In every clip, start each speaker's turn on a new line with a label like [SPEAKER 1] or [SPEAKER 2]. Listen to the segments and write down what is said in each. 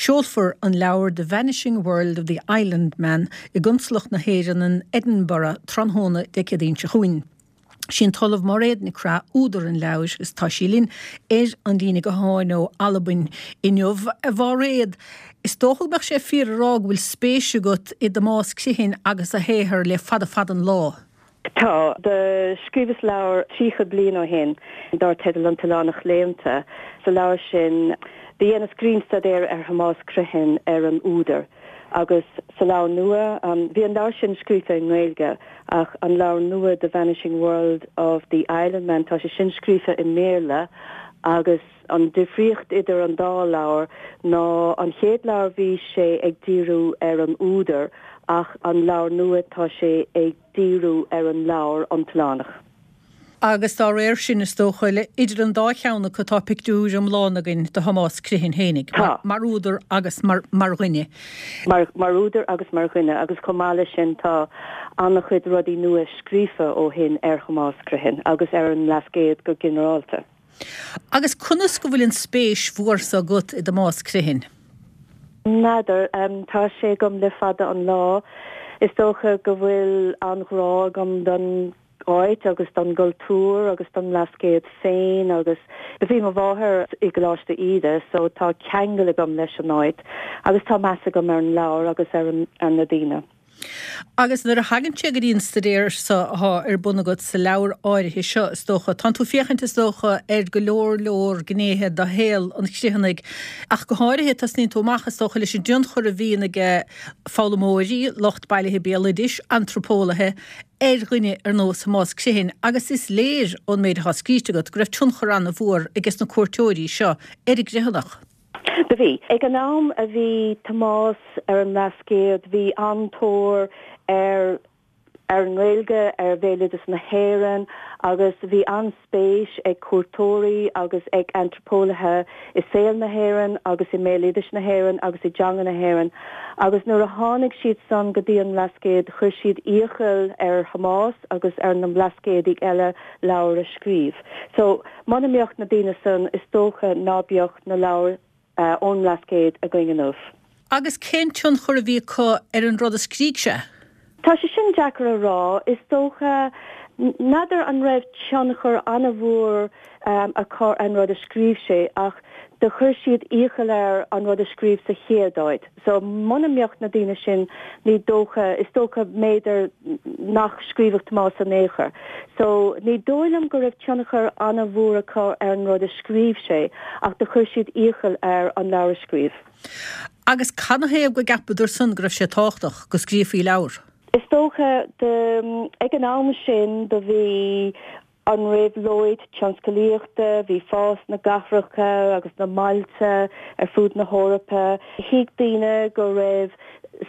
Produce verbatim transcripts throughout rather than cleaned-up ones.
[SPEAKER 1] Seolfar an leabhar The Vanishing World of the Island Man i gConsalacht na hÉireann in Edinburgh tráthnóna Dé Céadaoin seo chugainn. Sí an tOllamh Mairéad Nic Craith údar an leabhair is tá sí linn ar an líne gutháin ó Albain inniu. A Mhairéad, is dócha go mbeadh sé fíor a rá go bhfuil spéis agat i dTomás Criomhthain agus a shaothar le fada fada an lá.
[SPEAKER 2] Tá do scríobhas leabhar tríocha bliain ó shin dar teideal An tOileánach Léannta sa leabhar sin do dheineas grinnstaidéar ar Thomás Criomhthain ar an údar. agus sa leabhar nua um, bhí an leabhar sin scríofa i nGaeilge ach an leabhar nua The Vanishing World of the Island Man tá sé sin scríofa i mBéarla agus an difríocht idir an dá leabhar ná an chéad leabhar bhí sé ag díriú ar an údar ach an leabhar nua tá sé ag díriú ar an leabhar An tOileánach.
[SPEAKER 1] Agus dá réir sin is dócha le idir an dá cheann acu tá pictiúr iomlán againn de Thomás Criomhthain fhéinig, mar, mar údar agus mar, mar dhuine.
[SPEAKER 2] Mar, mar údar agus mar dhuine agus chomh maith leis sin tá an-chuid rudaí nua scríofa ó shin ar Thomás Criomhthain agus ar an mBlascaod go ginearálta.
[SPEAKER 1] Agus conas go bhfuil an spéis mhór seo agat i dTomás Criomhthain?
[SPEAKER 2] N'fheadar um, tá sé agam le fada an lá. Is dócha go bhfuil an-ghrá agam don áit agus don gcultúr agus don Bhlascaod féin agus bhí mo mháthair i gColáiste Íde, so tá ceangal agam leis an áit agus tá meas agam ar an leabhar agus ar, an, ar na daoine.
[SPEAKER 1] Agus nuair a thagann sé go dtí an staidéar seo atá ar bun agat sa leabhar áirithe seo is dócha, Tá tú ag féachaint is dócha ar go leor leor gnéithe de shaol an Chriomhthanaigh ach go háirithe tosnaíonn tú amach is dócha leis an dtionchar a bhíonn aige foghlaimeoirí, lucht bailithe béaloidis, antraipeolaithe ar dhuine ar nós Thomás Criomhthain agus is léir ón méid atá scríte agat go raibh tionchar an-mhór aige na cuairteoirí seo ar an gCriomhthanach.
[SPEAKER 2] Do bhí. Ag an am a bhí Tomás ar an mBlascaod, bhí an-tóir ar ar an nGaeilge ar bhéaloideas na hÉireann agus bhí an-spéis ag cuairteoirí agus ag antraipeolaithe i saol na hÉireann agus i mbéaloideas na hÉireann agus i dteanga na hÉireann. Agus nuair a tháinig siad san go dtí an Blascaod chuir siad iachall ar Thomás agus ar na Blascaodaigh eile leabhar a scríobh. So muna mbeadh na daoine san is dócha ná beadh na leabhair uh, ón mBlascaod againn inniu.
[SPEAKER 1] Agus cén tionchar a bhí acu ar an rud a scrígh sé?
[SPEAKER 2] Tá sé sin deacair a rá is dócha n'fheadar an raibh tionchar an-mhór um, acu an rud a scríobh sé ach do chuir siad iachall air an rud a scríobh sa chéad áit. So muna mbeadh na daoine sin ní dócha is dócha b'fhéidir nach scríobhadh Tomás in aon chor. So ní dóigh liom go raibh tionchar an-mhór acu ar an rud a scríobh sé ach do chuir siad iachall air an leabhar a scríobh.
[SPEAKER 1] Agus canathaobh go gceapadar san go raibh sé tábhachtach go scríofaí leabhar.
[SPEAKER 2] Is dócha ag an am sin do bhí an réabhlóid tionsclaíochta, bhí fás na gcathracha agus na mbailte ar fud na hEorpa. Thuig daoine go raibh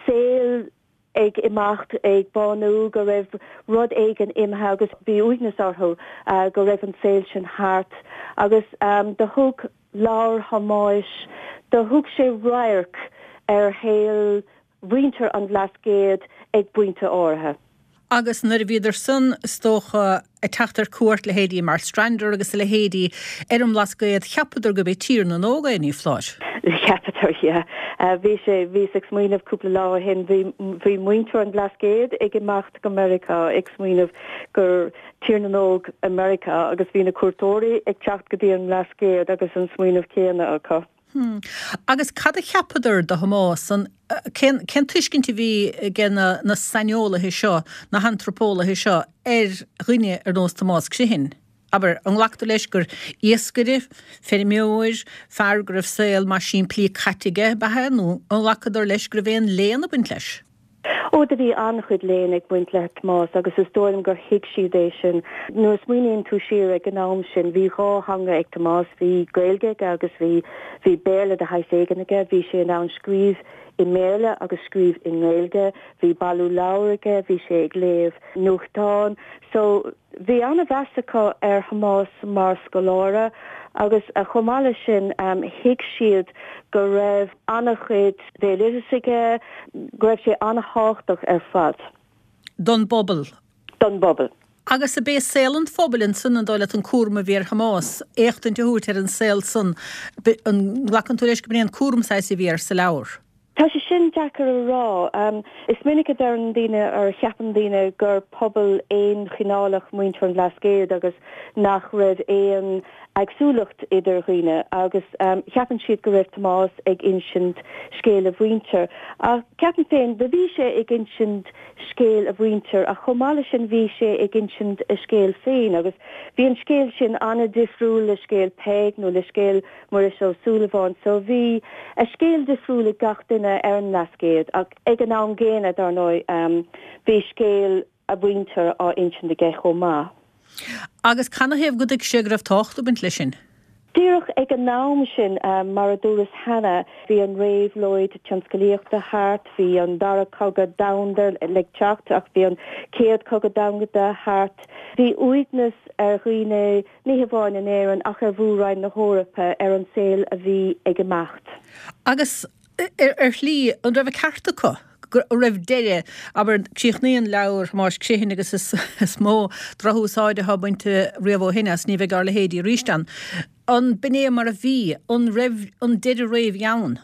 [SPEAKER 2] saol ag imeacht ag bánú go raibh rud éigin imithe agus bhí uaigneas orthu uh, go raibh an saol sin thart agus um, do thug leabhar Thomáis do thug sé radharc ar shaol mhuintir an Bhlascaoid ag pointe áirithe.
[SPEAKER 1] Agus nuair a bhíodar san is dócha ag teacht ar cuairt leithéidí Marstrander agus a leithéidí ar an mBlascaod cheapadar gurb é Tír na nÓg é ní foláir.
[SPEAKER 2] Cheapadar yeah. Uh, bhí sé bhí ag smaoineamh cúpla lá ó shin bhí muintir an Bhlascaoid ag imeacht go Meiriceá ag smaoineamh gur Tír na nÓg America agus bhí na cuairteoirí ag teacht go dtí an Blascaod agus an smaoineamh céanna acu.
[SPEAKER 1] Hmm. Agus cad a cheapadar de Thomás an cén cén tuiscint a bhí ag na, na saineolaithe seo, na hantraipeolaithe seo ar dhuine ar nós Tomás Criomhthain. Aber an nglactar leis gur iascaire, feirmeoir, fear go raibh saol maith simplí caite aige ab ea nó an nglacadar leis go raibh aon léann ag baint leis.
[SPEAKER 2] Ó do bhí an-chuid léinn ag baint le Tomás agus is dóigh liom gur thuig siad é sin. Nuair a smaoiníonn tú siar ag an am sin bhí dhá theanga ag Tomás bhí Gaeilge aige agus bhí bhí Béarla de shaghas éigin aige, bhí sé in ann scríobh i mBéarla agus scríobh i nGaeilge, bhí bailiú leabhar aige, bhí sé ag léamh nuachtán. So bhí an-mheas acu ar Thomás mar scoláire agus a chomh maith leis sin um, thuig siad go raibh an-chuid béaloideas aige, go raibh sé an-tábhachtach ar fad.
[SPEAKER 1] Don bpobal.
[SPEAKER 2] Don bpobal.
[SPEAKER 1] Agus ab é saol an phobail ansan an dóigh leat an cúram a bhí ar Thomás, éachtaint a thabhairt ar an saol san, an nglacann tú leis go b'in é an cúram saghas a bhí air sa leabhar?
[SPEAKER 2] Tá sé sin deacair a rá. Is minic a deireann daoine or cheapann daoine gur pobal aonchineálach muintir an Bhlascaoid agus nach raibh aon eagsúlacht idir dhaoine agus cheapann siad go raibh Tomás ag insint scéal a mhuintir. Ach ceapaim féin, do bhí sé ag insint scéal a mhuintir ach chomh maith leis sin bhí sé ag insint a scéal féin agus bhí an scéal sin an-difriúil le scéal Peig nó le scéal Muiris Ó Súilleabháin so bhí a scéal difriúil ag gach duine ar an mBlascaod ach ag an am gcéanna dar ndóigh bhí scéal a mhuintir á insint aige chomh maith.
[SPEAKER 1] Agus canathaobh go dtuig sé go raibh tábhacht ag baint leis sin?
[SPEAKER 2] Díreach ag an am sin, mar a dúras cheana, bhí an réabhlóid tionsclaíochta thart, bhí an Dara Cogadh Domhanda le teacht ach bhí an Chéad Chogadh Domhanda thart. Bhí uaigneas ar dhaoine, ní hamháin in Éirinn ach ar mhór-roinn na hEorpa, ar an saol a bhí ag imeacht.
[SPEAKER 1] Agus ar shlí, an raibh an ceart acu? go raibh deireadh, abair, críochnaíonn leabhar Thomáis Criomhthain agus is mó drochúsáid atá bainte riamh ó shin as, ní bheidh ár leithéidí arís ann. An b'in é mar a bhí? An raibh an deireadh réidh ann?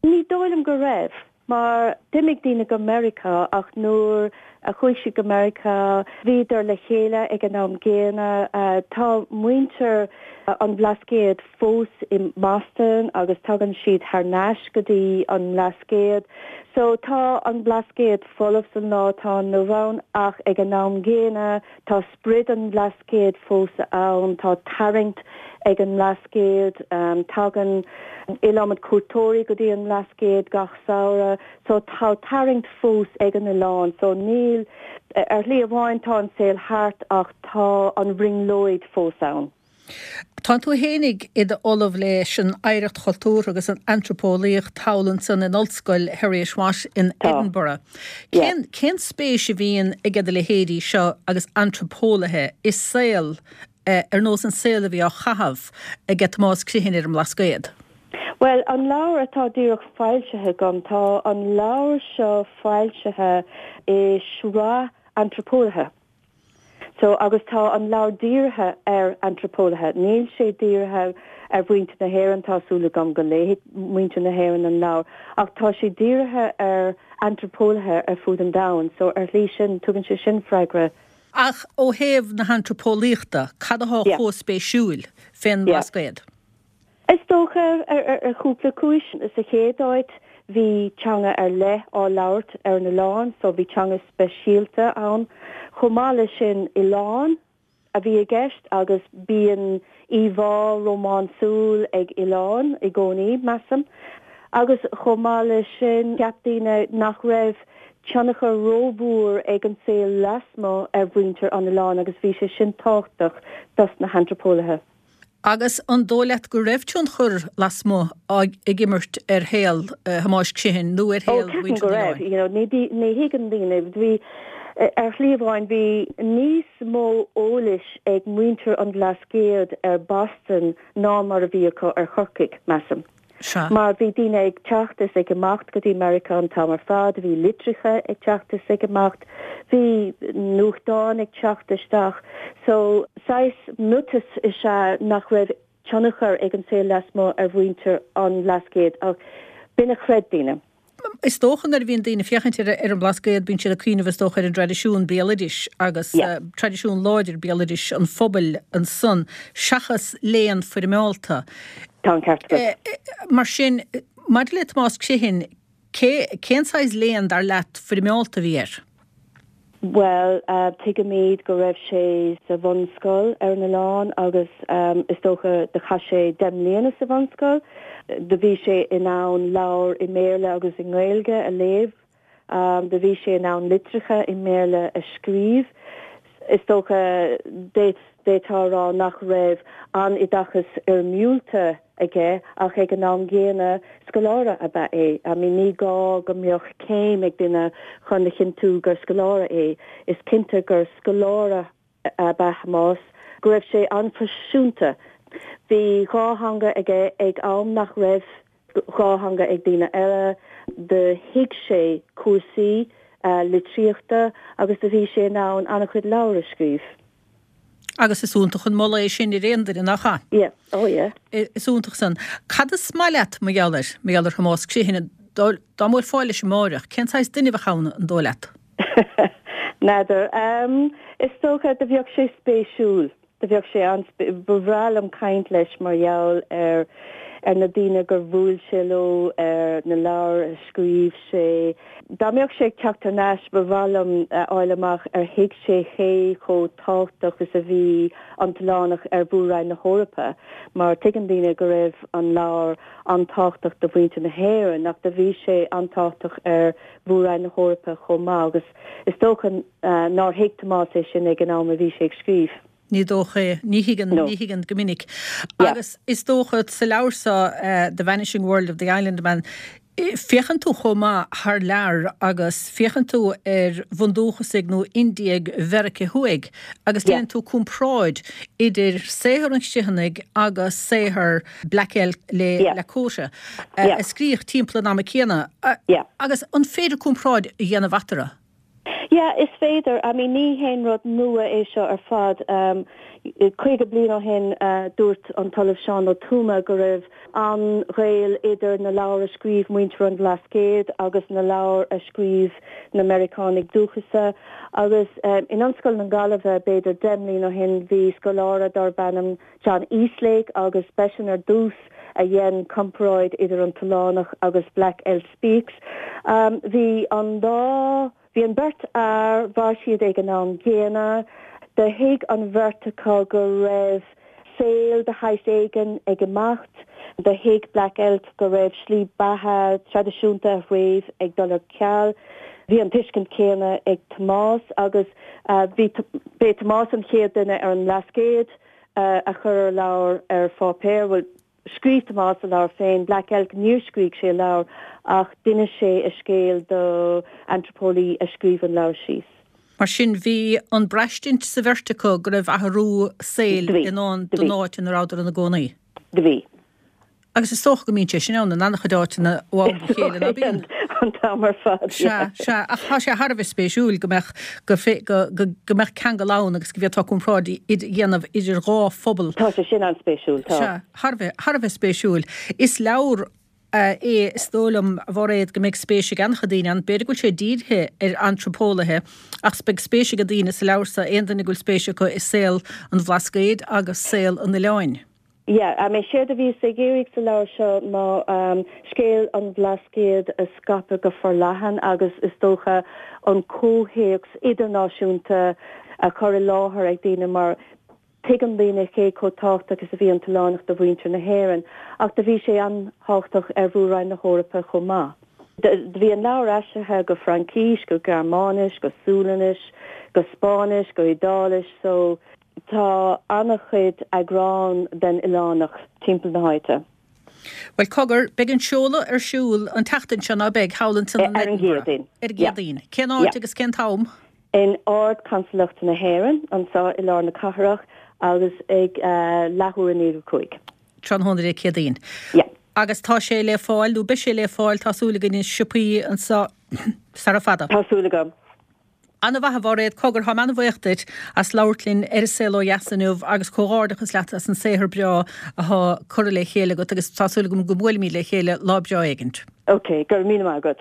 [SPEAKER 2] Ní dóigh liom go raibh, mar d'imigh daoine go Meiriceá ach nuair a chuaigh siad go Meiriceá bhíodar le chéile ag an am gcéanna. Tá muintir an Bhlascaoid fós i mBoston agus tagann siad thar n-ais go dtí an mBlascaod. So tá an Blascaod folamh san lá atá inniu ann ach ag an am gcéanna tá sprid an Bhlascaoid fós ann, tá tarraingt ag an mBlascaod, tagann iliomad cuairteoirí go dtí an mBlascaod gach samhradh so tá tarraingt fós ag an oileán. So níl, ar shlí amháin tá an saol thart ach tá an bhrionglóid fós ann.
[SPEAKER 1] Tá tú fhéinig i d'ollamh leis an oidhreacht chultúrtha agus an antraipeolaíocht thall ansan in Ollscoil Heriot-Watt in Edinburgh. Cén cén spéis a bhíonn ag do leithéidí seo agus antraipeolaithe i saol ar nós an saol a bhí á chaitheamh ag Tomás Criomhthain ar an mBlascaod?
[SPEAKER 2] Bhuel, an leabhar atá díreach foilsithe agam, tá an leabhar seo foilsithe i sraith antraipeolaithe. So, agus tá an leabhar dírithe ar antraipeolaithe. Níl sé dírithe ar mhuintir na hÉireann, tá súil agam go léifidh muintir na hÉireann an leabhar, ach tá sé dírithe ar antraipeolaithe ar fud an domhain. So, ar shlí sin, tugann sé sin freagra.
[SPEAKER 1] Ach ó thaobh na hantraipeolaíochta, cad atá chomh spéisiúil fén mBlascaod?
[SPEAKER 2] Is dócha, ar chúpla cúis. Sa chéad áit, bhí teanga ar leith á labhairt ar an oileán, so bhí teanga speisialta ann. Chomh maith leis sin, oileán a bhí i gceist agus bíonn íomhá rómánsúil ag oileáin i gcónaí, measaim. Agus chomh maith leis sin, cheap daoine nach raibh tionchar rómhór ag an saol lasmuigh ar mhuintir an oileáin agus bhí sé sin tábhachtach dos na hantraipeolaithe.
[SPEAKER 1] Agus an dóigh leat go raibh tionchar lasmuigh ag imirt ar shaol Thomáis Criomhthain nó ar shaol
[SPEAKER 2] mhuintir an oileáin? Ó, ceapaim go raibh. You know, ní thuigeann daoine. Bhí, ar shlí amháin, bhí níos mó eolais ag muintir an Bhlascaoid ar Boston ná mar a bhí acu ar Chorcaigh, measaim.
[SPEAKER 1] Sea.
[SPEAKER 2] Mar bhí daoine ag teacht is ag imeacht go dtí Meiriceá an t-am ar fad, bhí litreacha ag teacht is ag imeacht, bhí nuachtáin ag teacht isteach. So, saghas miotas is ea nach raibh tionchar ag an saol lasmuigh ar mhuintir an Bhlascaoid, ach b'in a chreid daoine.
[SPEAKER 1] Is dócha nuair a bhíonn daoine ag féachaint ar an mBlascaod bíonn siad ag cuimhneamh is dócha ar an dtraidisiún béaloidis agus traidisiún láidir béaloidis an phobail ansan seachas léann foirmeálta.
[SPEAKER 2] Tá an ceart agat.
[SPEAKER 1] Mar sin, maidir le Tomás Criomhthain, cé, cén saghas léann dar leat foirmeálta a bhí air?
[SPEAKER 2] Bhuel, tuigimid go raibh sé sa bhunscoil ar an oileán agus is dócha do chaith sé deich mbliana sa bhunscoil. Do bhí sé in ann leabhair i mBéarla agus i nGaeilge a léamh. Do bhí sé in ann litreacha i mBéarla a scríobh. Is dócha, d'fhéadfá a rá nach raibh an-oideachas fhoirmiúlta aige ach ag an am gcéanna scoláire ab ea é. I mean ní gá go mbeadh céim ag duine chun a chinntiú gur scoláire é. Is cinnte gur scoláire ab ea Tomás, go raibh sé an-phroifisiúnta. Bhí dhá theanga aige ag am nach raibh dhá theanga ag daoine eile. Do thuig sé cúrsaí litríochta agus do bhí sé in ann an-chuid leabhar a scríobh.
[SPEAKER 1] Agus is iontach an moladh é sin ar aon duine, nach ea?
[SPEAKER 2] Yeah, oh yeah.
[SPEAKER 1] Is iontach san. Cad is maith leat mar gheall air, mar gheall ar Thomás Criomhthain, dá mbuailfeá leis amáireach, cén saghas duine a bheadh ann, an dóigh leat?
[SPEAKER 2] N'fheadar. Is dócha do bheadh sé spéisiúil. Do bheadh sé an, ba bhreá liom caint leis mar gheall ar ar na daoine gur bhuail sé leo, ar na leabhair a scríobh sé. Dá mbeadh sé ag teacht thar n-ais, ba mhaith liom a fháil amach ar thuig sé cé chomh tábhachtach is a bhí an tOileánach ar Mhór-Roinn na hEorpa, mar tuigeann daoine go raibh an leabhar an-tábhachtach do mhuintir na hÉireann, ach do bhí sé an-tábhachtach ar Mhór-Roinn na hEorpa chomh maith, agus is dócha nár thuig Tomás é sin ag an am a bhí sé ag scríobh.
[SPEAKER 1] Ní dócha é. Ní thuigeann, ní thuigeann go minic. Agus is dócha sa leabhar seo, The Vanishing World of the Islandman, féachann tú chomh maith thar lear agus féachann tú ar bhundúchasaigh nó Indiaigh Mheiriceá Thuaidh agus déanann tú comparáid idir saothar an Chriomhthanaigh agus saothar Black Elk le Lakota a scríodh timpeall an ama céanna. Agus an féidir comparáid a dhéanamh eatarthu?
[SPEAKER 2] Yeah, is féidir. I mean, ní haon rud nua é seo ar fad. Caoga bliain ó shin dúirt an tOllamh Seán Ó Tuama go raibh an-ghaol idir na leabhair a scríobh muintir an Bhlascaoid agus na leabhair a scríobh na Meiriceánaigh dúchasa. Agus in Ollscoil na Gaillimhe, b'fhéidir deich mbliana ó shin, bhí scoláire darb ainm John Eastlake agus b'eisean ar dtús a dhein comparáid idir an tOileánach agus Black Elk Speaks. Bhí an dá. Bhí an bheirt fhear, mhair siad ag an am gcéanna. Do thuig an bheirt acu go raibh saol de shaghas éigin ag imeacht. Do thuig Black Elk go raibh slí beatha traidisiúnta a threibh ag dul ar ceal. Bhí an tuiscint chéanna ag Tomás agus bhí, b'é Tomás an chéad duine ar an mBlascaod a chuir a leabhar ar pháipéar. Bhuel, Scríobh Tomás a leabhar féin, Black Elk, níor scrígh sé a leabhar ach d'inis sé a scéal do antraipeolaí a scríobh an leabhar síos.
[SPEAKER 1] Mar sin, bhí an braistint sa bheirt acu go raibh athrú saoil i ndán don áit ina rabhadar ina gcónaí.
[SPEAKER 2] Do bhí.
[SPEAKER 1] Agus is dócha go mbíonn sé sin ann in an-chuid áiteanna ó am go chéile, ná bíonn?
[SPEAKER 2] An t-am ar fad,
[SPEAKER 1] yeah. Sea, sea. Ach tá sé thar a bheith spéisiúil go mbeadh, go, go, go, go mbeadh ceangal ann agus go bhféadfá comparáid a dhéanamh idir dhá phobal.
[SPEAKER 2] Tá sé sin an-spéisiúil, tá.
[SPEAKER 1] Sea, thar a bheith, thar a bheith spéisiúil. Is leabhar é, is dóigh liom, a Mhairéad, go mbeidh spéis ag an-chuid daoine ann. B'fhéidir go bhfuil sé dírithe ar antraipeolaithe, ach beidh spéis ag daoine sa leabhar seo, aon duine go bhfuil spéis acu i saol an Bhlascaoid agus saol an oileáin.
[SPEAKER 2] Yeah, I mean, séard a bhíos ag iarraidh sa leabhar seo ná scéal an Bhlascaoid a scaipeadh go forleathan agus is dócha an comhthéacs idirnáisiúnta a chur i láthair ag daoine mar tuigeann daoine cé chomh tábhachtach is a bhí an tOileánach do mhuintir na hÉireann ach do bhí sé an-tábhachtach ar Mhór-Roinn na hEorpa chomh maith. Do bhí an leabhar aistrithe go Fraincís, go Gearmáinis, go Sualainnis, go Spáinnis, go Iodáilis so Tá an-chuid eagrán den Oileánach timpeall na háite.
[SPEAKER 1] Bhuel, cogar, beidh an seoladh ar siúl an tseachtain seo, ná beidh, thall ansan in
[SPEAKER 2] Ar an
[SPEAKER 1] Edinburgh?
[SPEAKER 2] gCéadaoin.
[SPEAKER 1] Ar an
[SPEAKER 2] Yeah.
[SPEAKER 1] gCéadaoin. Cén áit
[SPEAKER 2] Yeah.
[SPEAKER 1] agus cén t-am?
[SPEAKER 2] In Ard-Consalacht na hÉireann, anseo i lár na cathrach agus ag leathuair i ndiaidh a cúig.
[SPEAKER 1] Tráthnóna Dé Céadaoin.
[SPEAKER 2] Yeah.
[SPEAKER 1] Agus tá sé le fáil, nó beidh sé le fáil, tá súil againn, i siopaí anseo sara fada.
[SPEAKER 2] Tá súil agam.
[SPEAKER 1] Ana-mhaith, a Mhairéad, cogar, táim ana-bhuíoch duit as labhairt linn ar An Saol Ó Dheas inniu agus comhghairdeachas leat as an saothar breá athá curtha le chéile agat agus tá súil agam go mbuailfimid le chéile lá breá éigint.
[SPEAKER 2] Ok, go raibh míle maith agat.